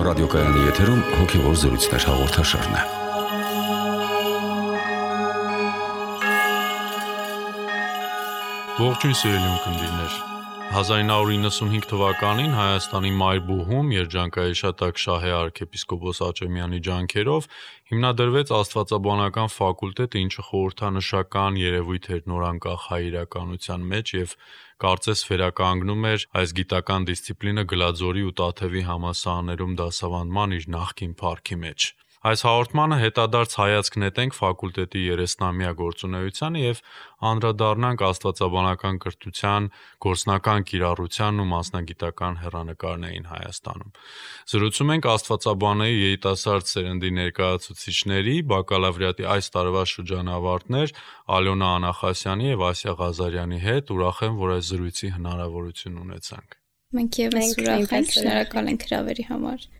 ռադիոկայանի եթերում հոգևոր զրույցներ հաղորդաշարն է։ Ողջույն սիրելի ունկնդիրներ։ 1995 թվականին Հայաստանի Մայրբուհում երջանկահիշատակ Շահե arczepiskopos Աճեմյանի ջանքերով հիմնադրվեց Աստվածաբանական ֆակուլտետ, ինչը խորհրդանշական երևույթ էր նորանկախ հայ իրականության մեջ եւ կարծես վերականգնում էր այս գիտական դիսցիպլինը Գլաձորի ու Տաթևի համալսարաններում դասավանդման իր նախկին փառքի մեջ։ Այս հաղորդմանը հետադարձ հայացք նետենք ֆակուլտետի 30-ամյա գործունեությանը եւ անդրադառնանք աստվածաբանական կրթության գործնական կիրառությանն ու մասնագիտական հեռանկարներին Հայաստանում։ Զրուցում ենք աստվածաբանների երիտասարդ սերնդի ներկայացուցիչների, բակալավրիատի այս տարվա շրջանավարտներ Ալյոնա Անախասյանի եւ Ասիա Ղազարյանի հետ։ Ուրախ եմ, որ այս զրույցի հնարավորություն ունեցանք։ Մենք եւս ուրախ ենք, շնորհակալ ենք հրավերի համար։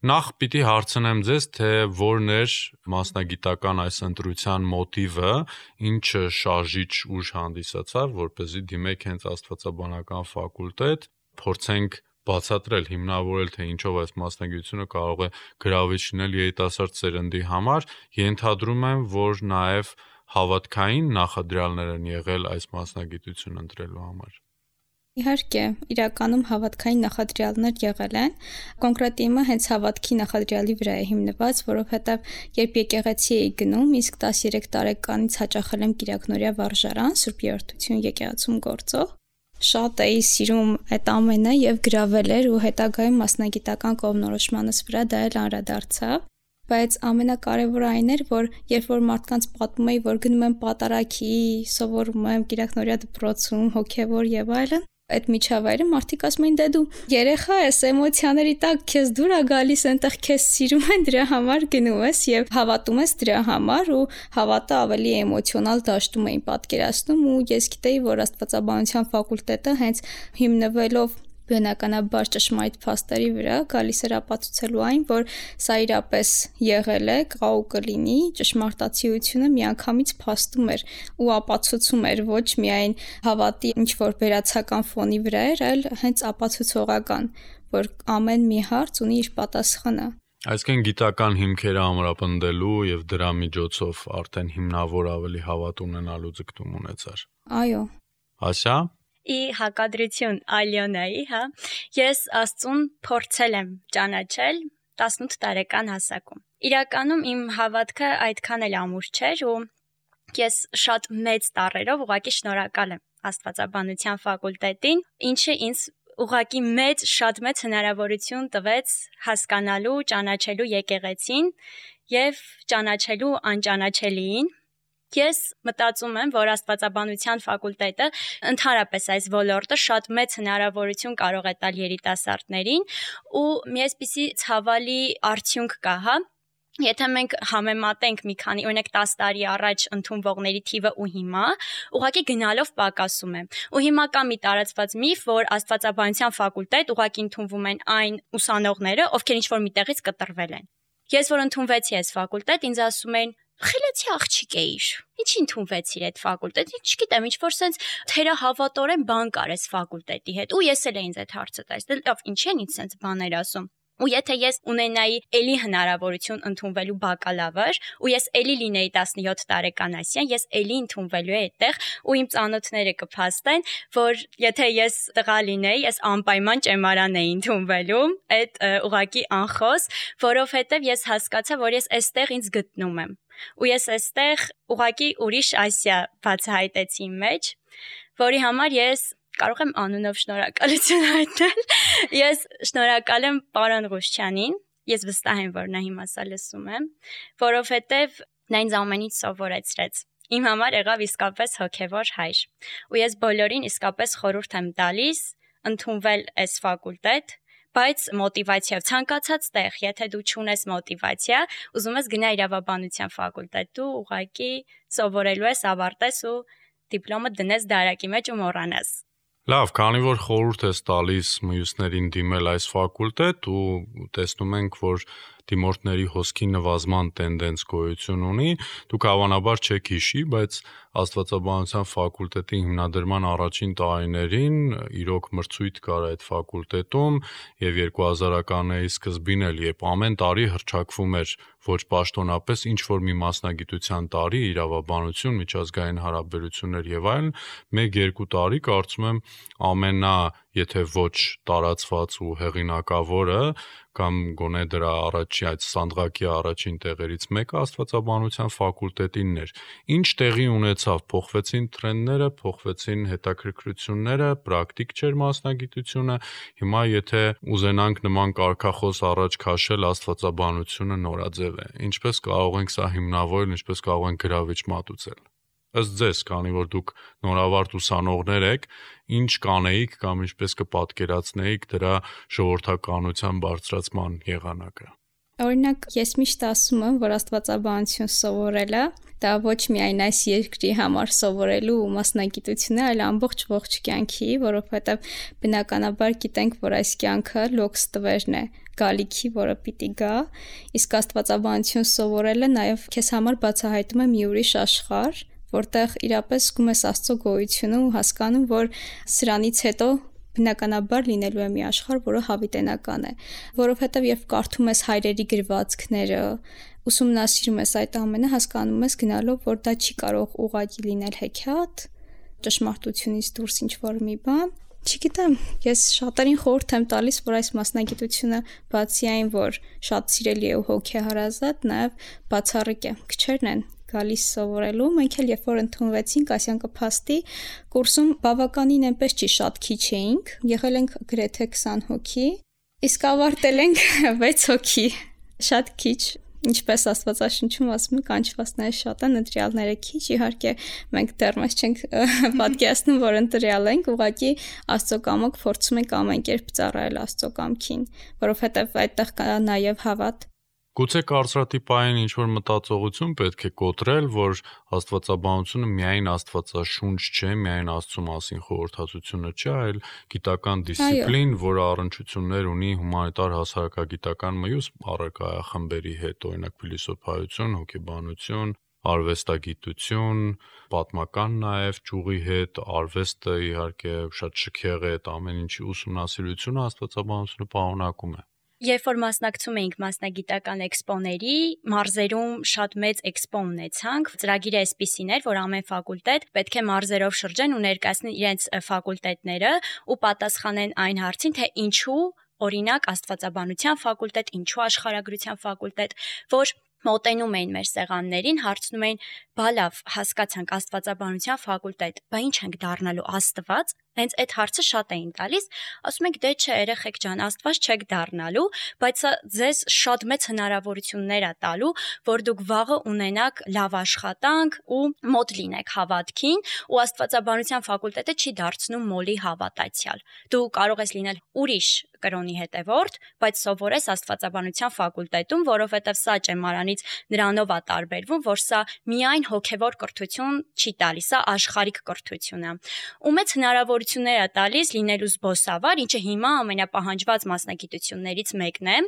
Նախ պիտի հարցնեմ ձեզ, թե որն էր մասնագիտական այս ընտրության մոտիվը, ինչը շարժիչ ուժ հանդիսացավ, որպեսզի դիմեք հենց աստվածաբանական ֆակուլտետ, փորձենք բացատրել, հիմնավորել, թե ինչով այս մասնագիտությունը կարող է գրավիչ լինել երիտասարդ սերնդի համար, ենթադրում եմ, որ նաև հավատքային նախադրյալներ են եղել այս մասնագիտությունը ընտրելու համար։ Իհարկե, իրականում հավատքային նախադրյալներ եղել են, կոնկրետ իմը հենց հավատքի նախադրյալի վրա է հիմնված, որովհետև երբ եկեղեցի էի գնում, իսկ 13 տարեկանից հաճախել եմ Կիրակնորիա վարժարան, Սուրբ Երրորդություն եկեղեցում գործող, շատ էի սիրում այդ ամենը եւ գրավել էր ու հետագայում մասնագիտական կողմնորոշմանս վրա դա էլ անդրադարձավ։ Բայց ամենակարևորը այն էր, որ երբ որ մարդկանց պատմում էի, որ գնում եմ պատարագի, սովորում եմ Կիրակնորիա դպրոցում, հոգևոր եւ այլն, այդ միջավայրը մարդիկ ասում էին՝ «Դե դու երեխա ես, էմոցիաների տակ քեզ դուր է գալիս, այնտեղ քեզ սիրում են, դրա համար գնում ես եւ հավատում ես դրա համար» ու հավատը ավելի էմոցիոնալ դաշտում էին պատկերացնում ու ես գիտեի, որ աստվածաբանության ֆակուլտետը հենց հիմնվելով բնականաբար ճշմարիտ փաստերի վրա գալիս էր ապացուցելու այն, որ սա իրապես եղել է, կա ու կլինի, ճշմարտացիությունը միանգամից փաստում էր ու ապացուցում էր ոչ միայն հավատի ինչ-որ վերացական ֆոնի վրա էր, այլ հենց ապացուցողական, որ ամեն մի հարց ունի իր պատասխանը։ Այսինքն գիտական հիմքերը ամրապնդելու եւ դրա միջոցով արդեն հիմնավոր ավելի հավատ ունենալու ձգտում ունեցար։ Այո։ Ասա Ի հակադրություն Ալյոնայի, ես Աստծուն փորձել եմ ճանաչել 18 տարեկան հասակում։ Իրականում իմ հավատքը այդքան էլ ամուր չէր ու ես շատ մեծ տառերով ուղղակի շնորհակալ եմ Աստվածաբանության ֆակուլտետին, ինչը ինձ ուղղակի շատ մեծ հնարավորություն տվեց հասկանալու, ճանաչելու եկեղեցին եւ ճանաչելու անճանաչելիին։ Ես մտածում եմ, որ աստվածաբանության ֆակուլտետը ընդհանրապես այս ոլորտը շատ մեծ հնարավորություն կարող է տալ երիտասարդներին ու մի այսպիսի ցավալի արդյունք կա, Եթե մենք համեմատենք մի քանի, օրինակ 10 տարի առաջ ընդունվողների թիվը ու հիմա, ուղղակի գնալով պակասում է։ Ու հիմա կա մի տարածված միֆ, որ աստվածաբանության ֆակուլտետ ուղղակի ընդունվում են այն ուսանողները, ովքեր ինչ-որ միտեղից կտրվել են։ Ես որ ընդունվեցի այս ֆակուլտետ, ինձ ասում էին խելացի աղջիկ էիր։ Ինչի ընդունվեցիր այդ ֆակուլտետ։ Չգիտեմ, ինչ որ sense թերահավատորեն բան կար այս ֆակուլտետի հետ։ Ու ես էլ ինձ այդ հարցը տալիս։ Դե լավ, ինչ են ինձ sense բաներ ասում։ Ու եթե ես ունենայի էլի հնարավորություն ընդունվելու բակալավր, ու ես էլի լինեի 17 տարեկան Ասիան, ես էլի ընդունվելու էի այդտեղ, ու իմ ծանոթները կփաստեն, որ եթե ես տղա լինեի, ես անպայման ճեմարան էի ընդունվելու, այդ ուղղակի անխոս, որովհետև ես հասկացա, որ ես այստեղ ինձ գտնում եմ։ Ու ես այստեղ ուղղակի ուրիշ Ասիա բացահայտեցի իմ մեջ, որի համար ես կարող եմ անունով շնորհակալություն հայտնել։ Ես շնորհակալ եմ պարոն Ղուշչյանին, ես վստահ եմ, որ նա հիմա սա լսում է, որովհետև նա ինձ ամենից սովորեցրեց։ Իմ համար եղավ իսկապես հոգևոր հայր։ Ու ես բոլորին իսկապես խորհուրդ եմ տալիս ընդունվել այս ֆակուլտետ, բայց մոտիվացիա ցանկացած տեղ, եթե դու չունես մոտիվացիա, ուզում ես գնա իրավաբանության ֆակուլտետ, դու ուղղակի սովորելու ես, ավարտես ու դիպլոմը դնես դարակի մեջ ու մոռանաս։ Լավ, քանի որ խորհուրդ ես տալիս մյուսներին դիմել այս ֆակուլտետ ու տեսնում ենք, որ դիմորդների հոսքի նվազման տենդենց գոյություն ունի, դուք հավանաբար չեք հիշի, բայց Աստվածաբանության ֆակուլտետի հիմնադրման առաջին տարիներին իրոք մրցույթ կար այդ ֆակուլտետում եւ 2000-ականների սկզբին էլ, երբ ամեն տարի հռչակվում էր ոչ պաշտոնապես ինչ որ մի մասնագիտության տարի, իրավաբանություն, միջազգային հարաբերություններ եւ այլն, 1-2 տարի կարծում եմ ամենա, եթե ոչ տարածված ու հեղինակավորը կամ գոնե դրա այդ սանդղակի առաջին տեղերից մեկը աստվածաբանության ֆակուլտետինն էր։ Ինչ տեղի ունեցավ, փոխվեցին տրենդները, փոխվեցին հետաքրքրությունները, պրակտիկ չէր մասնագիտությունը։ Հիմա եթե ուզենանք նման կարգախոս առաջ քաշել, աստվածաբանությունը նորաձև է։ Ինչպես կարող ենք սա հիմնավորել, ինչպես կարող ենք գրավիչ մատուցել։ Ըստ ձեզ, քանի որ դուք նորավարտ ուսանողներ եք, ինչ կանեիք կամ ինչպես կպատկերացնեիք դրա ժողովրդականության բարձրացման եղանակը։ Օրինակ, ես միշտ ասում եմ, որ աստվածաբանություն սովորելը դա ոչ միայն այս երկրի համար սովորելու մասնագիտություն է, այլ ամբողջ ողջ կյանքի, որովհետև բնականաբար գիտենք, որ այս կյանքը լոքս տվերն է, գալիքի, որը պիտի գա, իսկ աստվածաբանություն սովորելը նաև քեզ համար բացահայտում է մի ուրիշ աշխարհ, որտեղ իրապես զգում ես Աստծո գոյությունը ու հասկանում, որ սրանից հետո բնականաբար լինելու է մի աշխարհ, որը հավիտենական է, որովհետև երբ կարդում ես հայրերի գրվածքները, ուսումնասիրում ես այդ ամենը, հասկանում ես գնալով, որ դա չի կարող ուղղակի լինել հեքիաթ, ճշմարտությունից դուրս ինչ-որ մի բան։ Չգիտեմ, ես շատերին խորհուրդ եմ տալիս, որ այս մասնագիտությունը բացի այն, որ շատ սիրելի է ու հոգեհարազատ, նաև բացառիկ է։ Քչերն են գալիս սովորելու, մենք էլ երբ որ ընդունվեցինք Ասիան կփաստի կուրսում բավականին այնպես չի շատ քիչ էինք, եղել ենք գրեթե 20 հոգի, իսկ ավարտել ենք 6 հոգի, շատ քիչ, ինչպես Աստվածաշնչում ասում է, կանչվածները շատ են, ընտրյալները քիչ, իհարկե մենք դեռ մեզ չենք պատկերացնում, որ ընտրյալ ենք, ուղղակի Աստծո կամոք փորձում ենք ամեն կերպ ծառայել Աստծո կամքին, որովհետև այդտեղ կա նաև հավատ։ Գուցե կարծրատիպային ինչ-որ մտածողություն պետք է կոտրել, որ աստվածաբանությունը միայն աստվածաշունչ չէ, միայն Աստծո մասին խորհրդածությունը չէ, այլ գիտական դիսցիպլին, որը առնչություններ ունի հումանիտար հասարակագիտական մյուս առարկայախմբերի հետ, օրինակ փիլիսոփայություն, հոգեբանություն, արվեստագիտություն, պատմական նաև ճյուղի հետ, արվեստը իհարկե շատ շքեղ է, այդ ամեն ինչի ուսումնասիրությունը աստվածաբանությունը պարունակում է։ Երբ որ մասնակցում էինք մասնագիտական էքսպոների, մարզերում շատ մեծ էքսպո ունեցանք, ծրագիրը այսպիսին էր, որ ամեն ֆակուլտետ պետք է մարզերով շրջեն ու ներկայացնեն իրենց ֆակուլտետները ու պատասխանեն այն հարցին, թե ինչու, օրինակ, աստվածաբանության ֆակուլտետ, ինչու աշխարհագրության ֆակուլտետ, որ մոտենում էին մեր սեղաններին, հարցնում էին, բա լավ, հասկացանք աստվածաբանության ֆակուլտետ, բա ինչ ենք դառնալու Աստված։ Հենց այդ հարցը շատ էին տալիս, ասում ենք դե չէ, երեխեք ջան, Աստված չեք դառնալու, բայց սա ձեզ շատ մեծ հնարավորություններ է տալու, որ դուք վաղը ունենաք լավ աշխատանք ու մոտ լինեք հավատքին, ու աստվածաբանության ֆակուլտետը չի դարձնում մոլի հավատացյալ։ Դու կարող ես լինել ուրիշ կրոնի հետևորդ, բայց սովորես աստվածաբանության ֆակուլտետում, որովհետև սա ճեմարանից նրանով է տարբերվում, որ սա միայն հոգևոր կրթություն չի տալիս, սա աշխարհիկ կրթություն է։ Ու մեծ հնարավորություններ է տալիս լինելու զբոսավար, ինչը հիմա ամենապահանջված մասնագիտություններից մեկն է։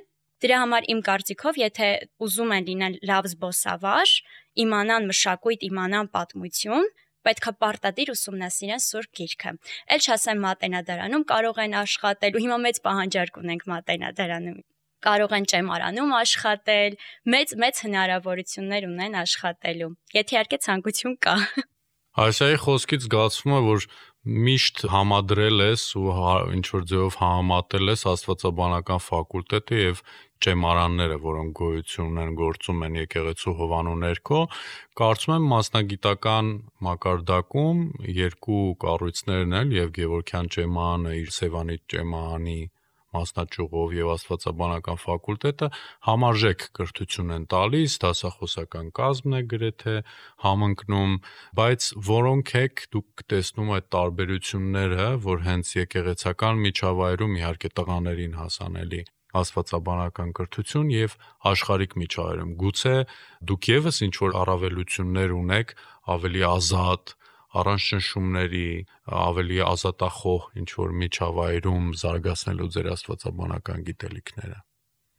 Դրա համար իմ կարծիքով, եթե ուզում են լինել լավ զբոսավար, իմանան մշակույթ, իմանան պատմություն, պետք է պարտադիր ուսումնասիրեն Սուրբ Գիրքը։ Էլ չասեմ Մատենադարանում կարող են աշխատել, ու հիմա մեծ պահանջարկ ունենք Մատենադարանում։ Կարող են ճեմարանում աշխատել, մեծ հնարավորություններ ունեն աշխատելու։ Եթե իհարկե ցանկություն կա։ Այսայի խոսքից զգացվում է, որ միշտ համադրել ես ու ինչ որ ձևով համատել ես աստվածաբանական ֆակուլտետը եւ ճեմարանները, որոնք գոյություն ունեն, գործում են եկեղեցու հովանու ներքո, կարծում եմ մասնագիտական մակարդակում երկու կառույցներն են, եւ Գևորգյան ճեմարանը իր Սևանի ճեմարանի մասնաճյուղով եւ աստվածաբանական ֆակուլտետը համարժեք կրթություն են տալիս, դասախոսական կազմն է գրեթե համընկնում, բայց որոնք եք դուք տեսնում այդ տարբերությունները, որ հենց եկեղեցական միջավայրում իհարկե տղաներին հասանելի աստվածաբանական կրթություն եւ աշխարհիկ միջավայրում, գուցե դուք եւս ինչ որ առավելություններ ունեք, ավելի ազատ, առանց ճնշումների, ավելի ազատախոհ ինչ որ միջավայրում զարգացնելու ձեր աստվածաբանական գիտելիքները։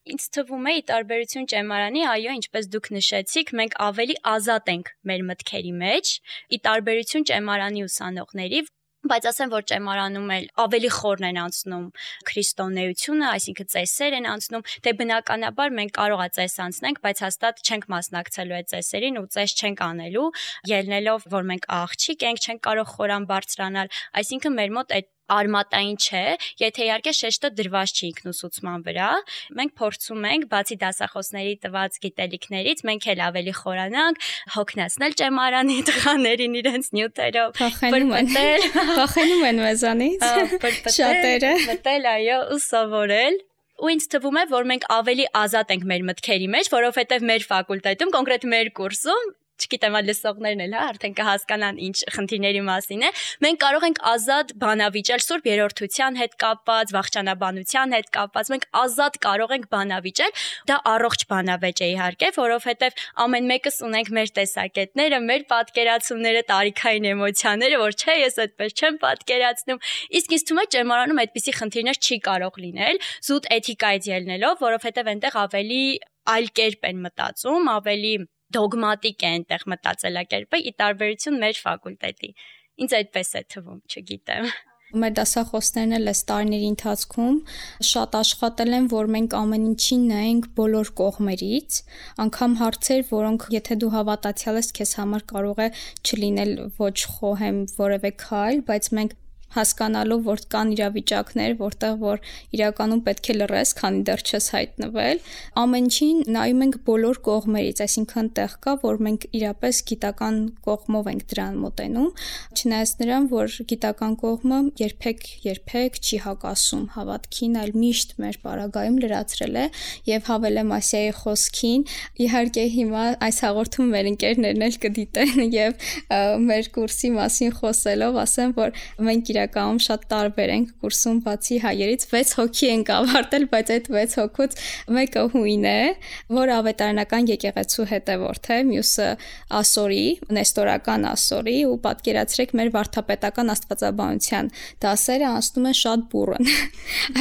Ինձ թվում է ի տարբերություն ճեմարանի, այո, ինչպես դուք նշեցիք, մենք ավելի ազատ ենք մեր մտքերի մեջ, ի տարբերություն ճեմարանի ուսանողների, բայց ասեմ, որ ճեմարանում էլ ավելի խորն են անցնում քրիստոնեությունը, այսինքն ծեսեր են անցնում, դե բնականաբար մենք կարող է ծես անցնենք, բայց հաստատ չենք մասնակցելու այդ ծեսերին ու ծես չենք անելու, ելնելով, որ մենք աղջիկ ենք, չենք կարող խորան բարձրանալ, այսինքն մեր մոտ այդ արմատային չէ, եթե իհարկե շեշտը դրված չի ինքնուսուցման վրա, մենք փորձում ենք, բացի դասախոսների տված գիտելիքներից, մենք էլ ավելի խորանանք, հոգնեցնել ճեմարանի տղաներին իրենց նյութերով, փոխանում են մեզանից, շատերը, մտել, այո, ու սովորել։ Ու ինձ թվում է, որ մենք ավելի ազատ ենք մեր մտքերի մեջ, որովհետև մեր ֆակուլտետում, կոնկրետ մեր կուրսում, չգիտեմ, լսողներն էլ, արդեն կհասկանան ինչ խնդիրների մասին է, մենք կարող ենք ազատ բանավիճել Սուրբ Երրորդության հետ կապված, վախճանաբանության հետ կապված, մենք ազատ կարող ենք բանավիճել, դա առողջ բանավեճ է իհարկե, որովհետև ամեն մեկս ունենք մեր տեսակետները, մեր պատկերացումները, տարիքային էմոցիաները, որ չէ, ես այդպես չեմ պատկերացնում, իսկ ինձ թվում է ճեմարանում այդպիսի խնդիրներ չի կարող լինել, զուտ էթիկայից ելնելով, որովհետև այնտեղ ավելի այլ կերպ են մտածում, ավելի դոգմատիկ է այնտեղ մտածելակերպը ի տարբերություն մեր ֆակուլտետի։ Ինձ այդպես է թվում, չգիտեմ։ Մեր դասախոսներն էլ այս տարիների ընթացքում շատ աշխատել են, որ մենք ամեն ինչին նայենք բոլոր կողմերից, անգամ հարցեր, որոնք եթե դու հավատացյալ ես, քեզ համար կարող է չլինել ոչ խոհեմ որևէ քայլ, բայց մենք հասկանալով, որ կան իրավիճակներ, որտեղ որ իրականում պետք է լռես, քանի դեռ չես հայտնվել, ամեն ինչին նայում ենք բոլոր կողմերից, այսինքն տեղ կա, որ մենք իրապես գիտական կողմով ենք դրան մոտենում, չնայած նրան, որ գիտական կողմը երբեք չի հակասում հավատքին, այլ միշտ մեր պարագայում լրացրել է եւ հավելեմ Ասիայի խոսքին, իհարկե հիմա այս հաղորդում մեր ընկերներն էլ կդիտեն եւ մեր կուրսի մասին խոսելով ասեմ, որ մենք իրականում շատ տարբեր ենք կուրսում բացի հայերից 6 հոգի ենք ավարտել, բայց այդ 6 հոգուց մեկը հույն է, որ ավետարանական եկեղեցու հետևորդ է, մյուսը ասորի, նեստորական ասորի ու պատկերացրեք մեր վարդապետական աստվածաբանության դասերը անցնում են շատ բուռն։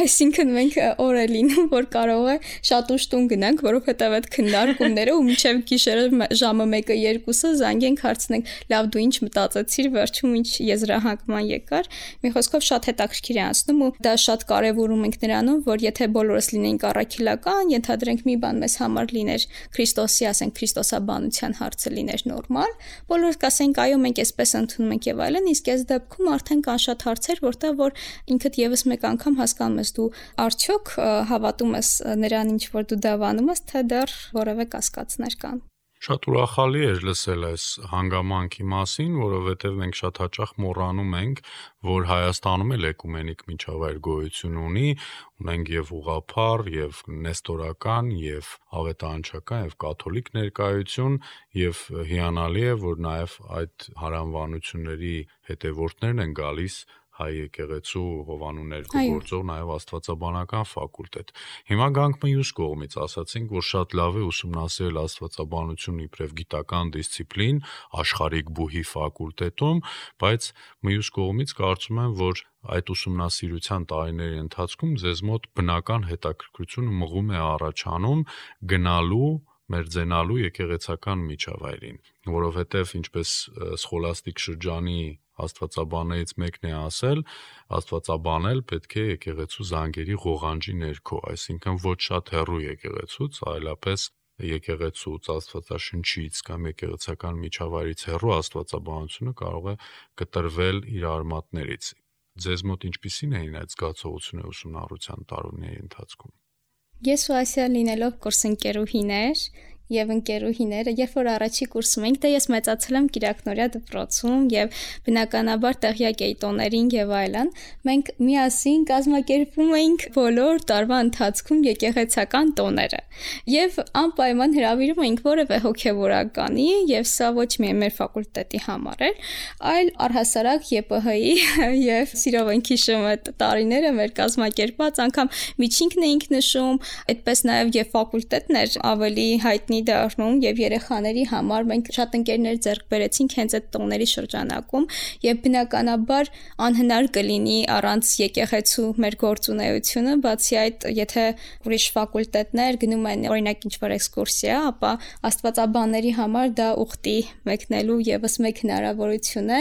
Այսինքն մենք օր է լինում, որ կարող է շատ ուշ տուն գնանք, որովհետև այդ քննարկումները ու մինչև գիշերը ժամը 1-2-ը զանգենք հարցնենք, լավ դու ինչ մտածեցիր, վերջում ինչ եզրահանգման եկար։ Մի խոսքով շատ հետաքրքիր է անցնում ու դա շատ կարևորում ենք նրանում, որ եթե բոլորս լինենք առաքելական, ենթադրենք մի բան մեզ համար լիներ Քրիստոսի, ասենք քրիստոսաբանության հարցը լիներ նորմալ, բոլորս կասենք այո, մենք այսպես ընդունում ենք եւ այլն, իսկ այս դեպքում արդեն կան շատ հարցեր, որտեղ որ ինքդ եւս մեկ անգամ հասկանում ես դու արդյոք հավատում ես նրան, ինչ որ դու դավանում ես, թե դեռ որևէ կասկածներ կան։ Շատ ուրախալի էր լսել այս հանգամանքի մասին, որովհետև մենք շատ հաճախ մոռանում ենք, որ Հայաստանում էլ էկումենիկ միջավայր գոյություն ունի, ունենք եւ ուղղափառ, եւ նեստորական, եւ ավետարանչական, եւ կաթոլիկ ներկայություն, եւ հիանալի է, որ նաեւ այդ հարանվանությունների հետևորդներն են գալիս հայ եկեղեցու Հովանու ներկու գործող նաև աստվածաբանական ֆակուլտետ։ Հիմա գանք մյուս կողմից, ասացինք, որ շատ լավ է ուսումնասիրել աստվածաբանությունը իբրև գիտական դիսցիպլին աշխարհիկ բուհի ֆակուլտետում, բայց մյուս կողմից կարծում եմ, որ այդ ուսումնասիրության տարիների ընթացքում ձեզ մոտ բնական հետաքրքրություն մղում է առաջանում գնալու մերձենալու եկեղեցական միջավայրին, որովհետև ինչպես սխոլաստիկ շրջանի աստվածաբաններից մեկն է ասել, աստվածաբանել պետք է եկեղեցու զանգերի ղողանջի ներքո, այսինքն ոչ շատ հեռու եկեղեցուց, այլապես եկեղեցուց, աստվածաշնչից կամ եկեղեցական միջավայրից հեռու աստվածաբանությունը կարող է կտրվել իր արմատներից։ Ձեզ մոտ ինչպիսին էին այդ զգացողությունները ուսումնառության տարիների ընթացքում։ Ես ու Ասիա լինելով կուրսընկերուհիներ եւ ընկերուհիները, երբ որ առաջի կուրսում ենք, դե ես մեծացել եմ Կիրակնորիա դպրոցում եւ բնականաբար տեղյակ էի տոներին եւ այլն, մենք միասին կազմակերպում էինք բոլոր տարվա ընթացքում եկեղեցական տոները եւ անպայման հրավիրում էինք որևէ հոգեվորականի եւ սա ոչ միայն մեր ֆակուլտետի համար էր, այլ առհասարակ ԵՊՀ-ի եւ սիրով ենք հիշում այդ տարիները մեր կազմակերպած անգամ միջինքն էինք նշում, այդպես նաեւ եւ ֆակուլտետն էր ավելի հայտնի դառնում եւ երեխաների համար մենք շատ ընկերներ ձեռք բերեցինք հենց այդ տոների շրջանակում եւ բնականաբար անհնար կլինի առանց եկեղեցու մեր գործունեությունը, բացի այդ, եթե ուրիշ ֆակուլտետներ գնում են օրինակ ինչ-որ էքսկուրսիա, ապա աստվածաբանների համար դա ուխտի մեկնելու եւս մեկ հնարավորություն է,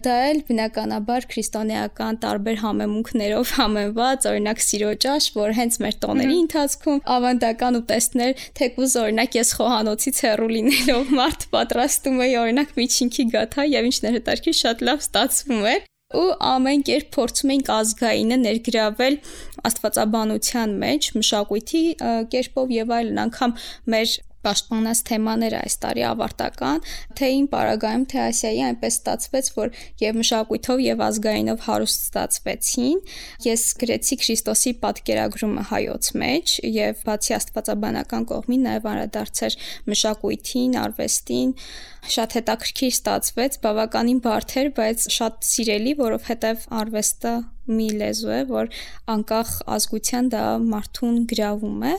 դա էլ բնականաբար քրիստոնեական տարբեր համեմունքներով համեմված, օրինակ սիրո ճաշ, որ հենց մեր տոների ընթացքում ավանդական ուտեստներ, թեկուզ օրինակ ես խոհանոցից հեռու լինելով մարդ պատրաստում էի օրինակ միջինքի գաթա եւ ինչն էր հետաքրքիր շատ լավ ստացվում էր ու ամեն կերպ փորձում էինք ազգայինը ներգրավել աստվածաբանության մեջ, մշակույթի կերպով եւ այլն, անգամ մեր պաշտպանած թեմաները այս տարի ավարտական, թե իմ պարագայում, թե Ասիայի այնպես ստացվեց, որ եւ մշակույթով եւ ազգայինով հարուստ ստացվեցին։ Ես գրեցի Քրիստոսի պատկերագրումը հայոց մեջ եւ բացի աստվածաբանական կողմին նաեւ անդրադարձեր մշակույթին, արվեստին, շատ հետաքրքիր ստացվեց, բավականին բարդ էր, բայց շատ սիրելի, որովհետեւ արվեստը մի լեզու է, որ անկախ ազգության դա մարդուն գրավում է,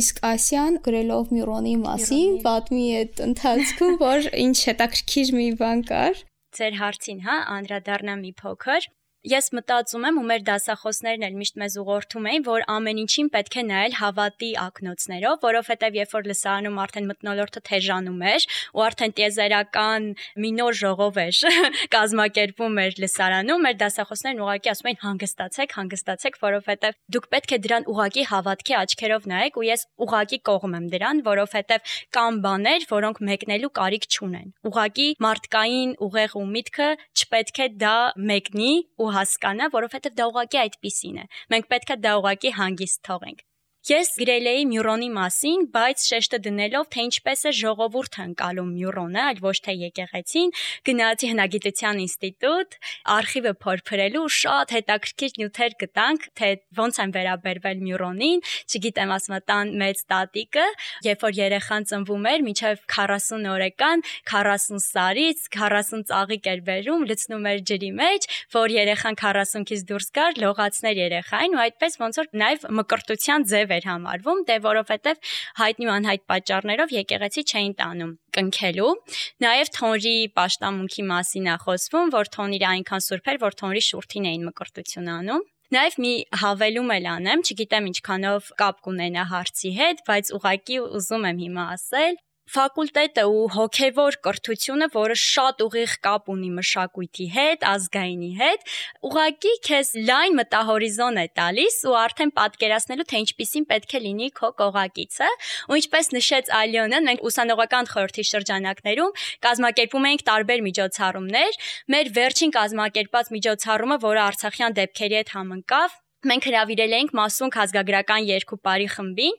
իսկ Ասիան գրելով Մյուրոնի մասին պատմի այդ ընթացքում, որ ինչ հետաքրքիր մի բան կար։ Ձեր հարցին, անդրադառնամ մի փոքր։ Ես մտածում եմ ու մեր դասախոսներն էլ միշտ մեզ ուղղորդում էին, որ ամեն ինչին պետք է նայել հավատի ակնոցներով, որովհետև երբ որ լսարանում արդեն մթնոլորտը թեժանում էր ու արդեն տիեզերական մի նոր ժողով էր կազմակերպվում մեր լսարանում, մեր դասախոսներն ուղղակի ասում էին հանգստացեք, որովհետև դուք պետք է դրան ուղղակի հավատքի աչքերով նայեք ու ես ուղղակի կողմ եմ դրան, որովհետև կան բաներ, որոնք մեկնելու կարիք չունեն։ Ուղղակի մարդկային ուղեղ ու միտքը չպետք է դա մեկնի ու հասկանա, որովհետև դա ուղղակի այդպիսին է։ Մենք պետք է դա ուղղակի հանգիստ թողենք։ Ես գրել էի Մյուրոնի մասին, բայց շեշտը դնելով, թե ինչպես է ժողովուրդը ընկալում Մյուրոնը, այլ ոչ թե եկեղեցին, գնացի հնագիտության ինստիտուտ, արխիվը փորփրելու շատ հետաքրքիր նյութեր գտանք, թե ոնց են վերաբերվել Մյուրոնին, չգիտեմ, ասում տան մեծ տատիկը, երբ որ երեխան ծնվում էր, մինչև 40 օրեկան, 40 սարից, 40 ծաղիկ էր բերում, լցնում էր ջրի մեջ, որ երեխան 40-ից դուրս գար, լողացներ երեխային ու այդպես ոնց որ նաև մկրտության ձև էր համարվում, դե որովհետև հայտնի ու անհայտ պատճառներով եկեղեցի չէին տանում կնքելու։ Նաև թոնրի պաշտամունքի մասին է խոսվում, որ թոնիրը այնքան սուրբ էր, որ թոնրի շուրթին էին մկրտություն անում։ Նաև մի հավելում էլ անեմ, չգիտեմ ինչքանով կապ կունենա հարցի հետ, բայց ուղղակի ուզում եմ հիմա ասել։ Ֆակուլտետը ու հոգևոր կրթությունը, որը շատ ուղիղ կապ ունի մշակույթի հետ, ազգայինի հետ, ուղղակի քեզ լայն մտահորիզոն է տալիս ու արդեն պատկերացնելու, թե ինչպիսին պետք է լինի քո կողակիցը, ու ինչպես նշեց Ալյոնան, մենք ուսանողական խորհրդի շրջանակներում կազմակերպում էինք տարբեր միջոցառումներ, մեր վերջին կազմակերպած միջոցառումը, որը արցախյան դեպքերի հետ համընկավ, մենք հրավիրել էինք Մասունք ազգագրական երկու բարի խմբին,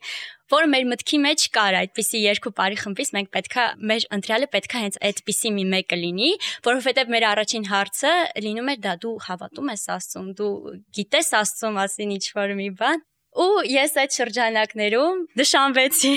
որ մեր մտքի մեջ կար այդպիսի երկու բարի խմբից մենք պետքա մեր ընտրյալը պետքա հենց այդպիսի մի մեկը լինի, որովհետև մեր առաջին հարցը լինում էր դա դու հավատում ես Աստծուն, դու գիտես Աստծու մասին ինչ-որ մի բան։ Ու ես այդ շրջանակներում նշանվեցի,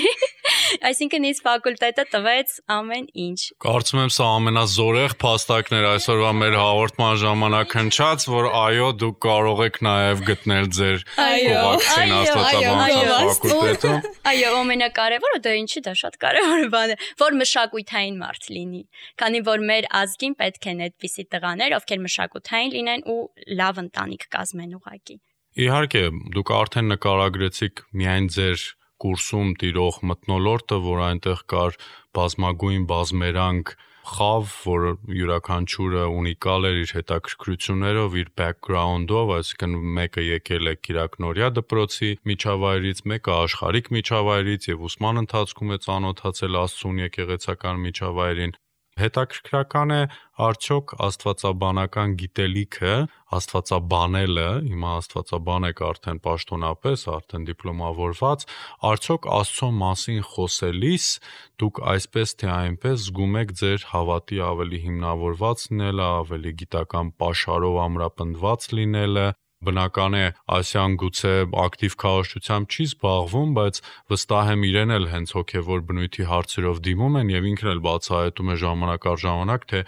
այսինքն ինձ ֆակուլտետը տվեց ամեն ինչ։ Կարծում եմ սա ամենազորեղ փաստակն էր այսօրվա մեր հաղորդման ժամանակ հնչած, որ այո, դուք կարող եք նաև գտնել ձեր կողակցին աստվածաբանության ֆակուլտետում։ Այո, ամենակարևորը դա ինչի դա շատ կարևոր բան է, որ մշակութային մարդ լինի, քանի որ մեր ազգին պետք են այդպիսի տղաներ, ովքեր մշակութային լինեն ու լավ ընտանիք կազմեն ուղղակի։ Իհարկե, դուք արդեն նկարագրեցիք միայն ձեր կուրսում տիրող մթնոլորտը, որ այնտեղ կար բազմագույն բազմերանգ խավ, որ յուրաքանչյուրը ունիկալ էր իր հետաքրքրություններով, իր background-ով, այսինքն մեկը եկել է Կիրակնորիա դպրոցի միջավայրից, մեկը աշխարհիկ միջավայրից եւ ուսման ընթացքում է ծանոթացել Աստծուն եկեղեցական միջավայրին։ Հետաքրքրական է արդյոք աստվածաբանական գիտելիքը, աստվածաբանելը, հիմա աստվածաբան եք արդեն պաշտոնապես, արդեն դիպլոմավորված, արդյոք Աստծո մասին խոսելիս դուք այսպես թե այնպես զգում եք ձեր հավատի ավելի հիմնավորված լինելը, ավելի գիտական պաշարով ամրապնդված լինելը։ Բնական է, Ասիան գուցե ակտիվ քարոզչությամբ չի զբաղվում, բայց վստահ եմ իրեն էլ հենց հոգևոր բնույթի հարցերով դիմում են եւ ինքն էլ բացահայտում է ժամանակ առ ժամանակ, թե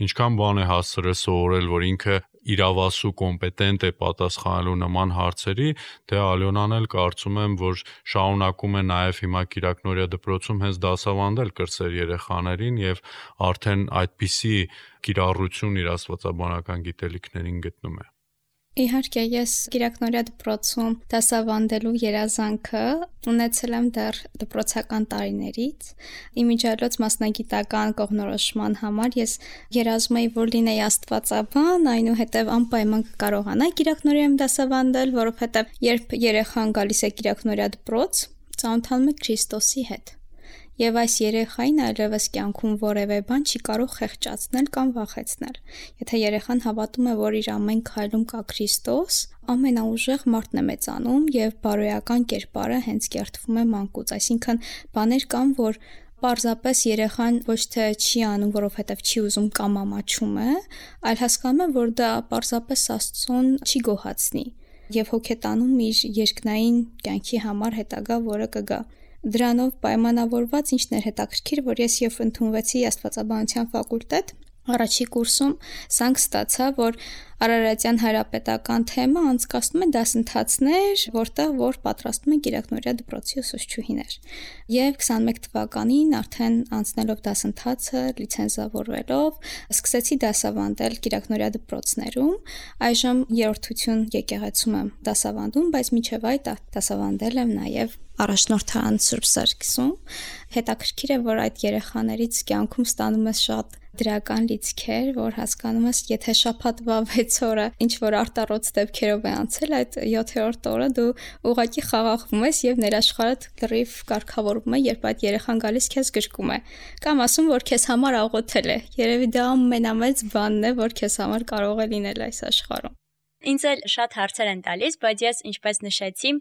ինչքան բան է հասցրել սովորել, որ ինքը իրավասու կոմպետենտ է պատասխանելու նման հարցերի, դե Ալյոնան էլ կարծում եմ, որ շարունակում է նաև հիմա Կիրակնորիա դպրոցում հենց դասավանդել կրտսեր երեխաներին եւ արդեն այդպիսի կիրառություն իր աստվածաբանական գիտելիքներին գտնում է։ Իհարկե, ես Կիրակնորիա դպրոցում դասավանդելու երազանքը ունեցել եմ դեռ դպրոցական տարիներից։ Իմիջիալոց մասնագիտական կողմնորոշման համար ես երազում էի, որ լինեի աստվածաբան, այնուհետև անպայման կկարողանայի Կիրակնորիայում դասավանդել, որովհետև երբ երեխան գալիս է Կիրակնորիա դպրոց, ծանոթանում է Քրիստոսի հետ։ Եվ այս երեխային այլևս կյանքում որևէ բան չի կարող խեղճացնել կամ վախեցնել։ Եթե երեխան հավատում է, որ իր ամեն քայլում կա Քրիստոս, ամենաուժեղ մարդն է մեծանում եւ բարոյական կերպարը հենց կերտվում է մանկուց, այսինքն բաներ կան, որ պարզապես երեխան ոչ թե չի անում, որովհետև չի ուզում կամ ամաչում է, այլ հասկանում է, որ դա պարզապես Աստծուն չի գոհացնի եւ հոգետանում իր երկնային կյանքի համար հետագա, որը կգա։ Դրանով պայմանավորված ինչն էր հետաքրքիր, որ ես երբ ընդունվեցի աստվածաբանության ֆակուլտետ, առաջի կուրսում զանգ ստացա, որ Արարատյան հայրապետական թեմը անցկացնում է դասընթացներ, որ պատրաստում են Կիրակնորիա դպրոցի ուսուցչուհիներ։ Եվ 21 թվականին արդեն անցնելով դասընթացը, լիցենզավորվելով, սկսեցի դասավանդել Կիրակնորիա դպրոցներում։ Այժմ երրորդություն եկեղեցում եմ դասավանդում, բայց մինչև այդ դասավանդել եմ նաև առաջնորդան Սուրբ Սարգսում։ Հետաքրքիր է, որ այդ երեխաներից կյանքում ստանում ես շատ դրական լիցքեր, որ հասկանում ես, եթե շաբաթվա 6 օրը ինչ որ արտառոց դեպքերով է անցել, այդ 7-րդ օրը դու ուղղակի խաղաղվում ես եւ ներաշխարհդ լրիվ կարգավորվում է, երբ այդ երեխան գալիս քեզ գրկում է, կամ ասում, որ քեզ համար աղոթել է։ Երևի դա ամենամեծ բանն է, որ քեզ համար կարող է լինել այս աշխարհում։ Ինձ էլ շատ հարցեր են տալիս, բայց ես ինչպես նշեցի,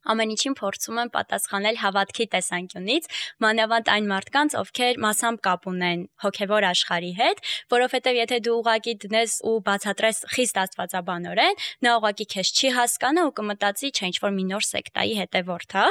ամեն ինչին փորձում եմ պատասխանել հավատքի տեսանկյունից, մանավանդ այն մարդկանց, ովքեր մասամբ կապ ունեն հոգևոր աշխարհի հետ, որովհետև եթե դու ուղակի դնես ու բացատրես խիստ աստվածաբանորեն, նա ուղակի քեզ չի հասկանա ու կմտածի, չէ, ինչ-որ մի նոր սեկտայի հետևորդ, հա։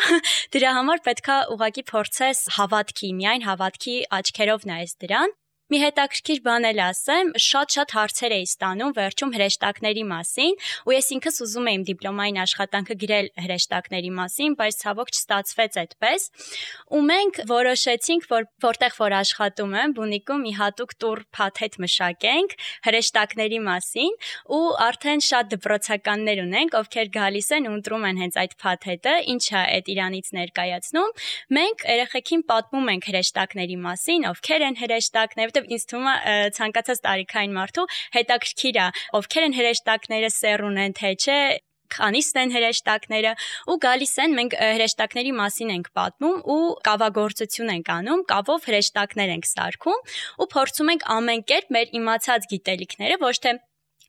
Դրա համար պետքա ուղակի փորձես հավատքի, միայն հավատքի աչքերով նայես դրան։ Մի հետաքրքիր բան էլ ասեմ, շատ հարցեր էի ստանում վերջում հրեշտակների մասին, ու ես ինքս ուզում եմ դիպլոմային աշխատանքը գրել հրեշտակների մասին, բայց ցավոք չստացվեց այդպես։ Ու մենք որոշեցինք, որ որտեղ որ աշխատում եմ, բունիկում մի հատուկ տուր փաթեթ մշակենք հրեշտակների մասին, ու արդեն շատ դպրոցականներ ունենք, ովքեր գալիս են ու ընտրում են հենց այդ փաթեթը, ինչա այդ իրանից ներկայացնում։ Մենք երեխեքին պատմում ենք հրեշտակների մասին, ովքեր են հրեշտակներ, ինձ թվում է ցանկացած տարիքային մարդու հետաքրքիր է, ովքեր են հրեշտակները, սեռուն են, թե չէ, քանիստ են հրեշտակները, ու գալիս են, մենք հրեշտակների մասին ենք պատմում ու կավագործություն ենք անում, կավով հրեշտակներ ենք սարքում ու փորձում ենք ամեն կերպ մեր իմացած գիտելիքները ոչ թե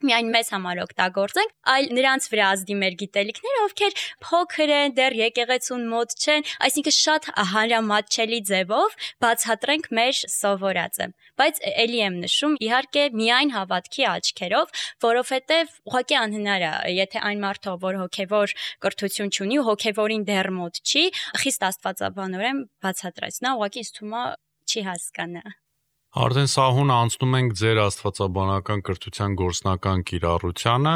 միայն մեզ համար օգտագործենք, այլ նրանց վրա ազդի մեր գիտելիքները, ովքեր փոքր են, դեռ եկեղեցուն մոտ չեն, այսինքն շատ հանրամատչելի ձևով բացատրենք մեր սովորածը։ Բայց ելի եմ նշում, իհարկե միայն հավատքի աչքերով, որովհետև ուղղակի անհնար է, եթե այն մարդը, որ հոգևոր կրթություն չունի ու հոգևորին դեռ մոտ չի, խիստ աստվածաբանորեն բացատրես, նա ուղղակի ինձ թվում է չի հասկանա։ Արդեն սահուն անցնում ենք ձեր աստվածաբանական կրթության գործնական կիրառությանը,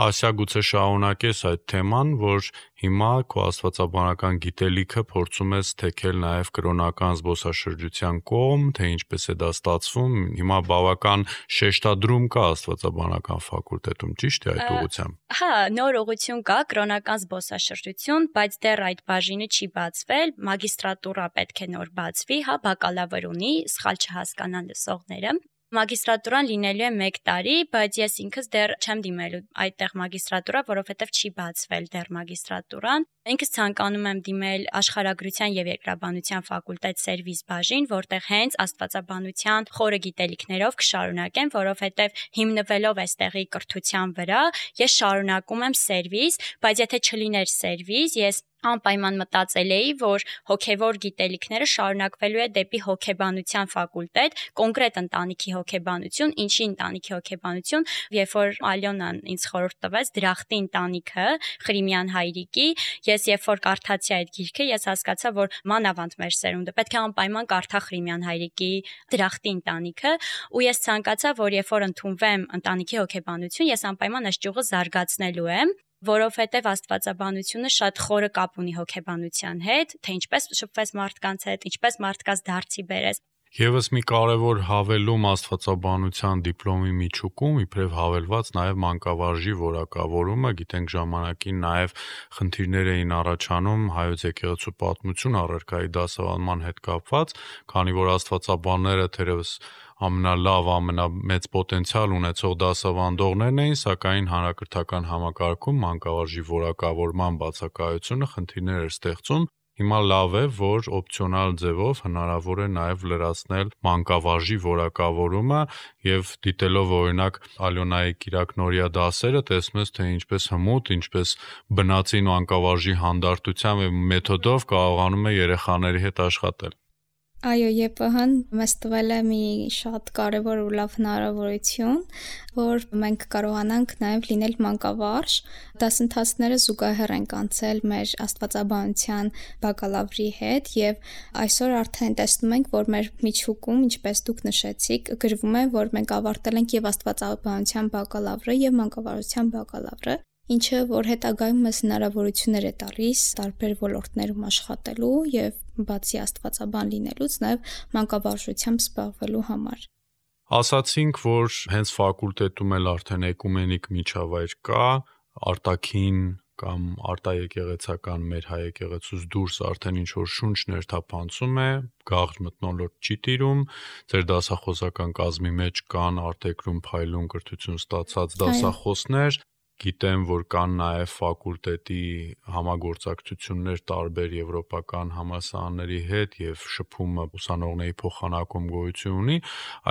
Ասիա գուցե շարունակես այդ թեման, որ հիմա քո աստվածաբանական գիտելիքը փորձում ես թեքել նաև կրոնական զբոսաշրջության կողմ, թե ինչպես է դա ստացվում, հիմա բավական շեշտադրում կա աստվածաբանական ֆակուլտետում, ճիշտ է այդ ուղղությամբ։ Հա, նոր ուղղություն կա, կրոնական զբոսաշրջություն, բայց դեռ այդ բաժինը չի բացվել, մագիստրատուրա պետք է նոր բացվի, հա, բակալավր ունի, սխալ չհասկանան լսողները։ Մագիստրատուրան լինելու է 1 տարի, բայց ես ինքս դեռ չեմ դիմելու այդտեղ մագիստրատուրա, որովհետև չի բացվել դեռ մագիստրատուրան։ Ինքս ցանկանում եմ դիմել աշխարհագրության եւ երկրաբանության ֆակուլտետ սերվիս բաժին, որտեղ հենց աստվածաբանության խորը գիտելիքներով կշարունակեմ, որովհետև հիմնվելով այստեղի կրթության վրա, ես շարունակում եմ սերվիս, բայց եթե չլիներ սերվիս, ես անպայման մտածել էի, որ հոգևոր գիտելիքները շարունակվելու է դեպի հոգեբանության ֆակուլտետ, կոնկրետ ընտանիքի հոգեբանություն, ինչի ընտանիքի հոգեբանություն, երբ որ Ալյոնան ինձ խորհուրդ տվեց Դրախտի ընտանիքը, Ղրիմյան հայրիկի, ես երբ որ կարդացի այդ գիրքը, ես հասկացա, որ մանավանդ մեր սերունդը պետք է անպայման կարդա Ղրիմյան հայրիկի Դրախտի ընտանիքը, ու ես ցանկացա, որ երբ որ ընդունվեմ ընտանիքի հոգեբանություն, ես անպայման այս ճյուղը զարգացնելու եմ, որովհետև աստվածաբանությունը շատ խորը կապ ունի հոգեբանության հետ, թե ինչպես շփվես մարդկանց հետ, ինչպես մարդկանց դարձի բերես։ Եվս մի կարևոր հավելում աստվածաբանության դիպլոմի միջուկում, իբրև հավելված նաև մանկավարժի որակավորումը, գիտենք ժամանակին նաև խնդիրներ էին առաջանում հայոց եկեղեցու պատմություն առարկայի դասավանդման հետ կապված, քանի որ աստվածաբանները թերևս ամենալավ, ամենամեծ պոտենցիալ ունեցող դասավանդողներն էին, սակայն հանրակրթական համակարգում մանկավարժի որակավորման բացակայությունը խնդիրներ էր ստեղծում։ Հիմա լավ է, որ օպցիոնալ ձևով հնարավոր է նաև լրացնել մանկավարժի որակավորումը եւ դիտելով օրինակ Ալյոնայի Կիրակնորիա դասերը, տեսնում ես, թե ինչպես հմուտ, ինչպես բնածին մանկավարժի հանդարտությամբ եւ մեթոդով կարողանում է երեխաների հետ աշխատել։ Այո, ԵՊՀ-ն մեզ տվել է մի շատ կարևոր ու լավ հնարավորություն, որ մենք կարողանանք նաև լինել մանկավարժ, դասընթացները զուգահեռ ենք անցել մեր աստվածաբանության բակալավրի հետ եւ այսօր արդեն տեսնում ենք, որ մեր միջուկում, ինչպես դուք նշեցիք, գրվում է, որ մենք ավարտել ենք եւ աստվածաբանության բակալավրը եւ մանկավարժության բակալավրը, ինչը որ հետագայում մեզ հնարավորություններ է տալիս տարբեր ոլորտներում աշխատելու եւ բացի աստվածաբան լինելուց նաեւ մանկավարժությամբ զբաղվելու համար։ Ասացինք, որ հենց ֆակուլտետում էլ արդեն էկումենիկ միջավայր կա, արտաքին կամ արտաեկեղեցական մեր հայ եկեղեցուց դուրս արդեն ինչ որ շունչ ներթափանցում է, գաղթ մթնոլորտ չի տիրում, ձեր դասախոսական կազմի մեջ կան արտեկրում փայլուն կրթություն ստացած դասախոսներ, գիտեմ, որ կան նաև ֆակուլտետի համագործակցություններ տարբեր եվրոպական համալսարանների հետ եւ շփումը ուսանողների փոխանակում գոյություն ունի,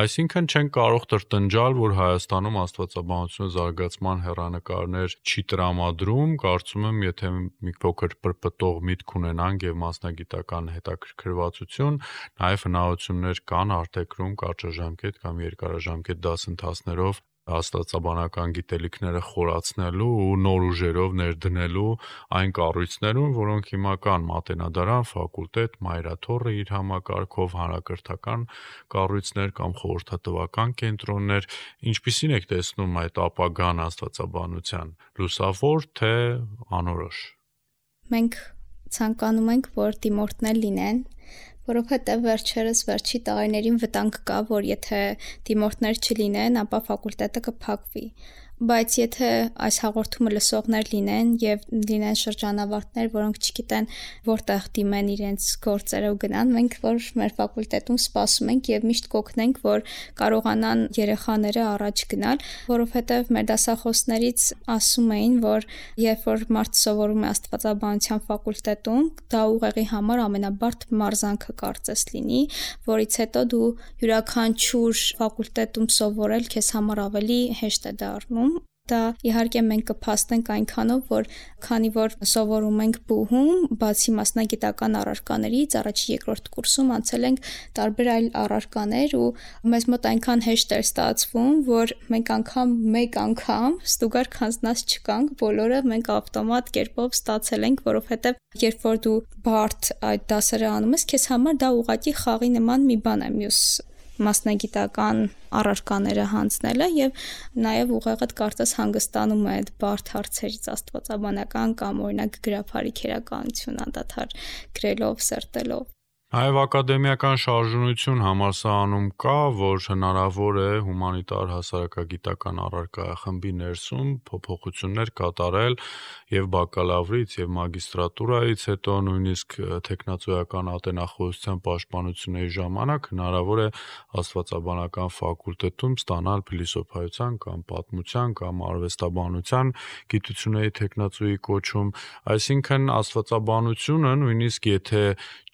այսինքն չեն կարող տրտնջալ, որ Հայաստանում աստվածաբանությունը զարգացման հեռանկարներ չի տրամադրում, կարծում եմ, եթե մի փոքր պրպտող միտք ունենանք եւ մասնագիտական հետաքրքրվածություն, նաև հնարավորություններ կան արտեկրում կարճաժամկետ կամ երկարաժամկետ դասընթացներով աստվածաբանական գիտելիքները խորացնելու ու նոր ուժերով ներդնելու այն կառույցներում, որոնք հիմա կան Մատենադարան, ֆակուլտետ, Մայրաթոռը իր համակարգով, հանրակրթական կառույցներ կամ խորհրդատվական կենտրոններ, ինչպիսին եք տեսնում այդ ապագան աստվածաբանության, լուսավոր թե անորոշ։ Մենք ցանկանում ենք, որ դիմորդներ լինեն, որովհետև վերջի տարիներին վտանգ կա, որ եթե դիմորդներ չլինեն, ապա ֆակուլտետը կփակվի։ Բայց եթե այս հաղորդումը լսողներ լինեն եւ լինեն շրջանավարտներ, որոնք չգիտեն որտեղ դիմեն իրենց գործերը ու գնան, մենք որ մեր ֆակուլտետում սպասում ենք եւ միշտ կօգնենք, որ կարողանան երեխաները առաջ գնալ, որովհետեւ մեր դասախոսներից ասում էին, որ երբ որ մարդ սովորում է աստվածաբանության ֆակուլտետում, դա ուղեղի համար ամենաբարդ մարզանքը կարծես լինի, որից հետո դու յուրաքանչյուր ֆակուլտետում սովորել քեզ համար ավելի հեշտ է դառնում։ Դա իհարկե մենք կփաստենք այնքանով, որ քանի որ սովորում ենք բուհում, բացի մասնագիտական առարկաներից, առաջի երկրորդ կուրսում անցել ենք տարբեր այլ առարկաներ ու մեզ մոտ այնքան հեշտ էր ստացվում, որ մենք մեկ անգամ ստուգար քանձնած չկանք, բոլորը մենք ավտոմատ կերպով ստացել ենք, որովհետև երբ որ դու բարդ այդ դասերը անում ես, քեզ համար դա ուղղակի խաղի նման մի բան է, մյուս մասնագիտական առարկաները հանձնելը եւ նաեւ ուղեղդ կարծես հանգստանում է այդ բարդ հարցերից աստվածաբանական կամ օրինակ գրափարի քերականություն անդադար գրելով, սերտելով։ Նաև ակադեմիական շարժունություն համալսարանում կա, որ հնարավոր է հումանիտար հասարակագիտական առարկայախմբի ներսում փոփոխություններ կատարել եւ բակալավրից եւ մագիստրատուրայից հետո նույնիսկ տեխնացուական ատենախոսության պաշտպանությունների ժամանակ հնարավոր է աստվածաբանական ֆակուլտետում ստանալ փիլիսոփայության կամ պատմության կամ արվեստաբանության գիտությունների տեխնացուի կոչում, այսինքն աստվածաբանությունը նույնիսկ եթե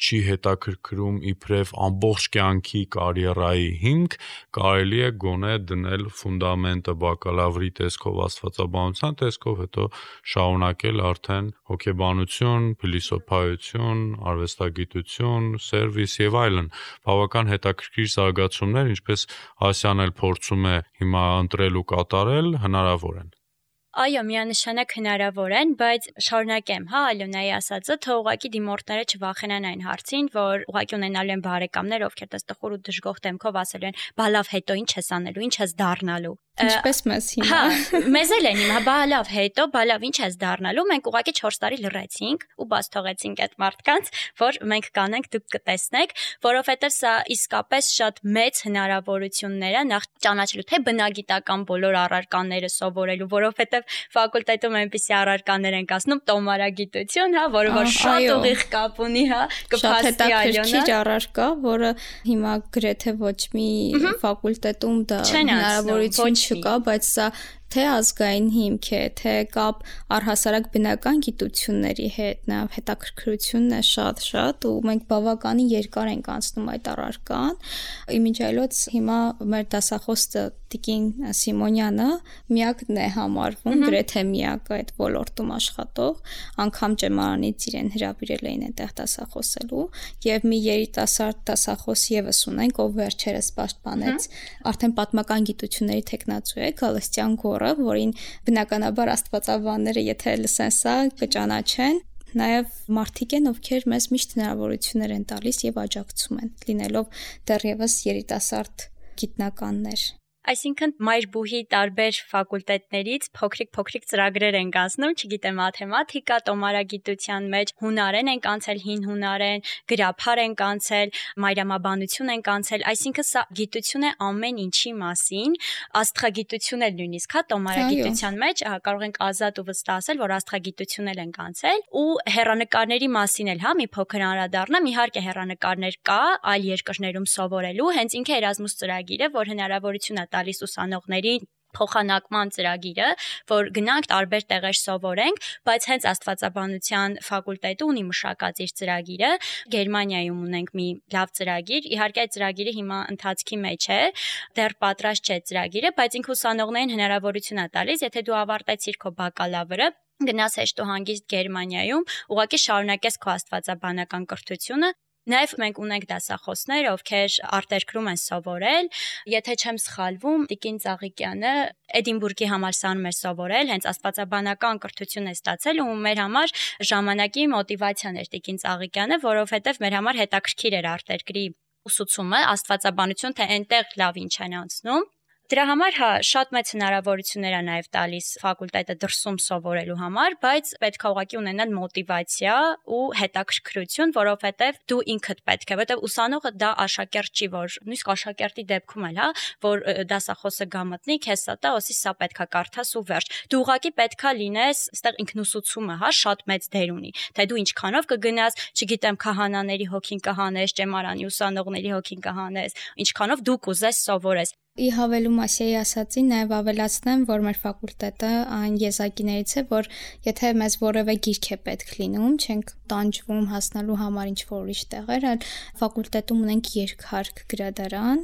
չի հետաքրքրում հետաքրքրում իբրև ամբողջ կյանքի կարիերայի հիմք, կարելի է գոնե դնել ֆունդամենտը բակալավրի տեսքով աստվածաբանության տեսքով, հետո շարունակել արդեն հոգեբանություն, փիլիսոփայություն, արվեստագիտություն, սերվիս եւ այլն։ Բավական հետաքրքիր զարգացումներ, ինչպես Ասյան էլ փորձում է հիմա ընտրել ու կատարել, հնարավոր են։ Այո, միանշանակ հնարավոր են, բայց շարունակեմ, Ալյոնայի ասածը, թող ուղղակի դիմորդները չվախենան այն հարցին, որ ուղղակի ունենալու են բարեկամներ, ովքեր տխուր ու դժգոհ դեմքով ասելու են, բա լավ, հետո ինչ ես անելու, ինչ ես դառնալու։ Ինչպես մեզ հիմա։ Մեզ էլ են հիմա, բա լավ, հետո, բա լավ, ինչ ես դառնալու, մենք ուղղակի 4 տարի լռեցինք ու բաց թողեցինք այդ մարդկանց, որ մենք կանենք, դուք կտեսնեք, որովհետև սա իսկապես շատ մեծ հնարավորություններ է նախ ճանաչելու թե բնագիտական բոլոր առարկաները սովորելու, որովհետև ֆակուլտետում այնպիսի առարկաներ են կասնում տոմարագիտություն, որը որ շատ ուղիղ կապ ունի, կփաստի Ալյոնա։ Շատ հետաքրքիր առարկա, որը հիմա գրեթե ոչ մի ֆակուլտետում դա հնարավորություն չկա, բայց սա թե ազգային հիմք է, թե կապ առհասարակ բնական գիտությունների հետ, նաև հետաքրքրությունն է շատ ու մենք բավականին երկար ենք անցնում այդ առարկան։ Իմիջիայլոց հիմա մեր դասախոս Տիկին Սիմոնյանը միակն է համարվում, գրեթե միակը այդ ոլորտում աշխատող, անգամ ճեմարանից իրեն հրավիրել էին այդտեղ դասախոսելու, եւ մի երիտասարդ դասախոս եւս ունենք, ով վերջերս պաշտպանեց արդեն պատմական գիտությունների տեխնացու է Գալստյան Գորը, որին բնականաբար աստվածաբանները եթե լսեն սա կճանաչեն, նաև մարդիկ են, ովքեր մեզ միշտ հնարավորություններ են տալիս եւ աջակցում են, լինելով դեռևս երիտասարդ գիտնականներ։ Այսինքն մայրբուհի տարբեր ֆակուլտետներից փոքրիկ ծրագրեր են կազմում, չգիտեմ, մաթեմատիկա, տոմարագիտության մեջ, հունարեն են կանցել, հին հունարեն, գրաբար են կանցել, մայրամաբանություն են կանցել, այսինքն սա գիտություն է ամեն ինչի մասին, աստղագիտություն էլ նույնիսկ, տոմարագիտության մեջ կարող ենք ազատ ու վստահ ասել, որ աստղագիտություն էլ են կանցել ու հեռանկարների մասին էլ, մի փոքր անդրադառնամ, իհարկե հեռանկարներ կա այլ երկրներում սովորելու, հենց ինքը Էրազմուս ծրագիրը, որ հնարավորություն է տալիս ուսանողներին փոխանակման ծրագիրը, որ գնանք տարբեր տեղեր սովորենք, բայց հենց աստվածաբանության ֆակուլտետը ունի մշակած իր ծրագիրը, Գերմանիայում ունենք մի լավ ծրագիր, իհարկե այդ ծրագիրը հիմա ընթացքի մեջ է, դեռ պատրաստ չէ ծրագիրը, բայց ինքը ուսանողներին հնարավորություն է տալիս, եթե դու ավարտեցիր քո բակալավրը, գնաս հեշտ ու հանգիստ Գերմանիայում, ուղղակի շարունակես քո աստվածաբանական կրթությունը։ Նաև մենք ունենք դասախոսներ, ովքեր արտերկրում են սովորել, եթե չեմ սխալվում, Տիկին Ծաղիկյանը Էդինբուրգի համալսարանում է սովորել, հենց աստվածաբանական կրթություն է ստացել ու մեր համար ժամանակի մոտիվացիան էր Տիկին Ծաղիկյանը, որովհետև մեր համար հետաքրքիր էր արտերկրի ուսուցումը, աստվածաբանություն, թե այնտեղ լավ ինչ են անցնում։ Դրա համար շատ մեծ հնարավորություններ է նաև տալիս ֆակուլտետը դրսում սովորելու համար, բայց պետք է ուղղակի ունենալ մոտիվացիա ու հետաքրքրություն, որովհետև դու ինքդ պետք է, որովհետև ուսանողը դա աշակերտ չի, որ նույնիսկ աշակերտի դեպքում էլ, որ դասախոսը գա մտնի, քեզ սա տա, ասի սա պետք է կարդաս ու վերջ։ Դու ուղղակի պետք է լինես, այստեղ ինքնուսուցումը, շատ մեծ դեր ունի, թե դու ինչքանով կգնաս, չգիտեմ, քահանաների հոգին կհանես, ճեմարանի ուսանողների հոգին կհանես, ինչքանով դու կուզես սովորես։ Ի հավելում Ասիայի ասածին նաև ավելացնեմ, որ մեր ֆակուլտետը այն եզակիներից է, որ եթե մեզ որևէ գիրք է պետք լինում, չենք տանջվում հասնելու համար ինչ-որ ուրիշ տեղեր, այլ ֆակուլտետում ունենք երկհարկ գրադարան,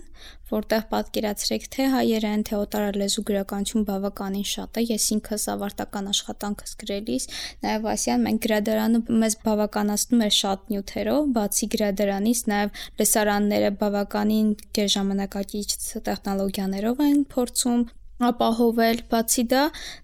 որտեղ պատկերացրեք թե հայերեն, թե օտարալեզու գրականություն բավականին շատ է, ես ինքս ավարտական աշխատանքս գրելիս, նաև Ասիան մենք գրադարանը մեզ բավականացնում էր շատ նյութերով, բացի գրադարանից նաև լսարանները բավականին գերժամանակակից տեխնոլոգիաներով են փորձում ապահովել, բացի դա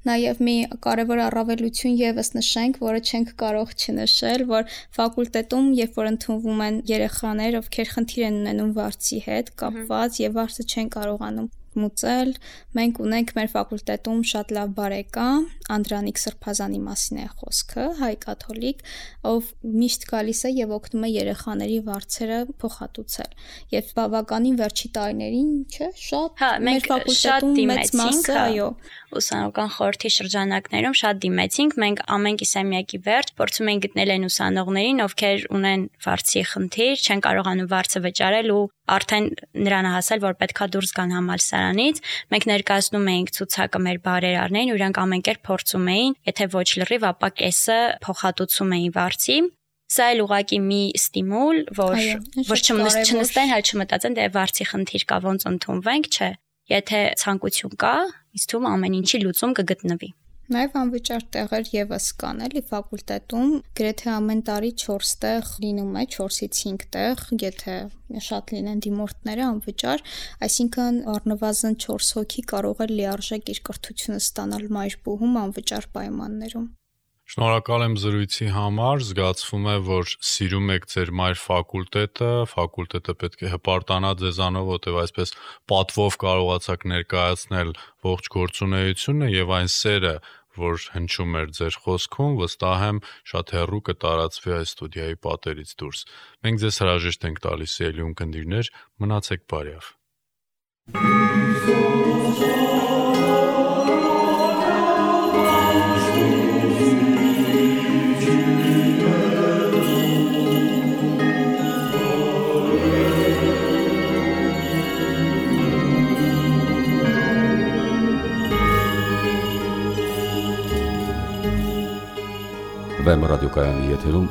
նաև մի կարևոր առավելություն եւս նշենք, որը չենք կարող չնշել, որ ֆակուլտետում, երբ որ ընդունվում են երեխաներ, ովքեր խնդիր են ունենում վարձի հետ կապված եւ վարձը չեն կարողանում մուծել, մենք ունենք մեր ֆակուլտետում շատ լավ բարեկամ, Անդրանիկ Սրբազանի մասին է խոսքը, հայ կաթոլիկ, ով միշտ գալիս է եւ օգնում է երեխաների վարձերը փոխհատուցել։ Եվ բավականին վերջի տարիներին, չէ, շատ մեր ֆակուլտետում մեծ մասը, այո, ուսանողական խորհրդի շրջանակներում շատ դիմեցինք, մենք ամեն կիսամյակի վերջ փորձում ենք գտնել այն ուսանողներին, ովքեր ունեն վարձի խնդիր, չեն կարողանում վարձը վճարել ու արդեն նրան հասել, որ պետքա դուրս գան համալսարանից, մենք ներկայացնում էինք ցուցակը մեր բարերարներին, ու իրանք ամեն կերպ փորձում էին, եթե ոչ լրիվ, ապա կեսը փոխհատուցում էին վարձի։ Սա էլ ուղղակի մի ստիմուլ, որ չնստեն, հայ չմտածեն, դե վարձի խնդիր կա, ոնց ընդունվենք, չէ։ Եթե ցանկություն կա, ինձ թվում ամեն ինչի լուծում կգտնվի։ Նաև անվճար տեղեր եւս կան, էլի ֆակուլտետում, գրեթե ամեն տարի 4 տեղ լինում է, 4-ից 5 տեղ, եթե շատ լինեն դիմորդները անվճար, այսինքն առնվազն 4 հոգի կարող է լիարժեք իր կրթությունը ստանալ մայրբուհում անվճար պայմաններում։ Շնորհակալ եմ զրույցի համար, զգացվում է, որ սիրում եք ձեր մայր ֆակուլտետը պետք է հպարտանա ձեզանով, որտեղ այսպես պատվով կարողացաք ներկայացնել ողջ գործունեությունը եւ այն սերը, որ հնչում էր ձեր խոսքում, վստահ եմ, շատ հեռու կտարածվի այս ստուդիայի պատերից դուրս։ Մենք ձեզ հրաժեշտ ենք տալիս, ելի ունկնդիրներ, մնացեք բարյավ։ Վեմ ռադիոկայանի եթերում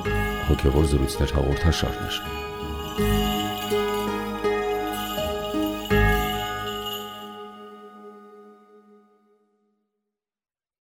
հոգևոր զրույցներ հաղորդաշարներ։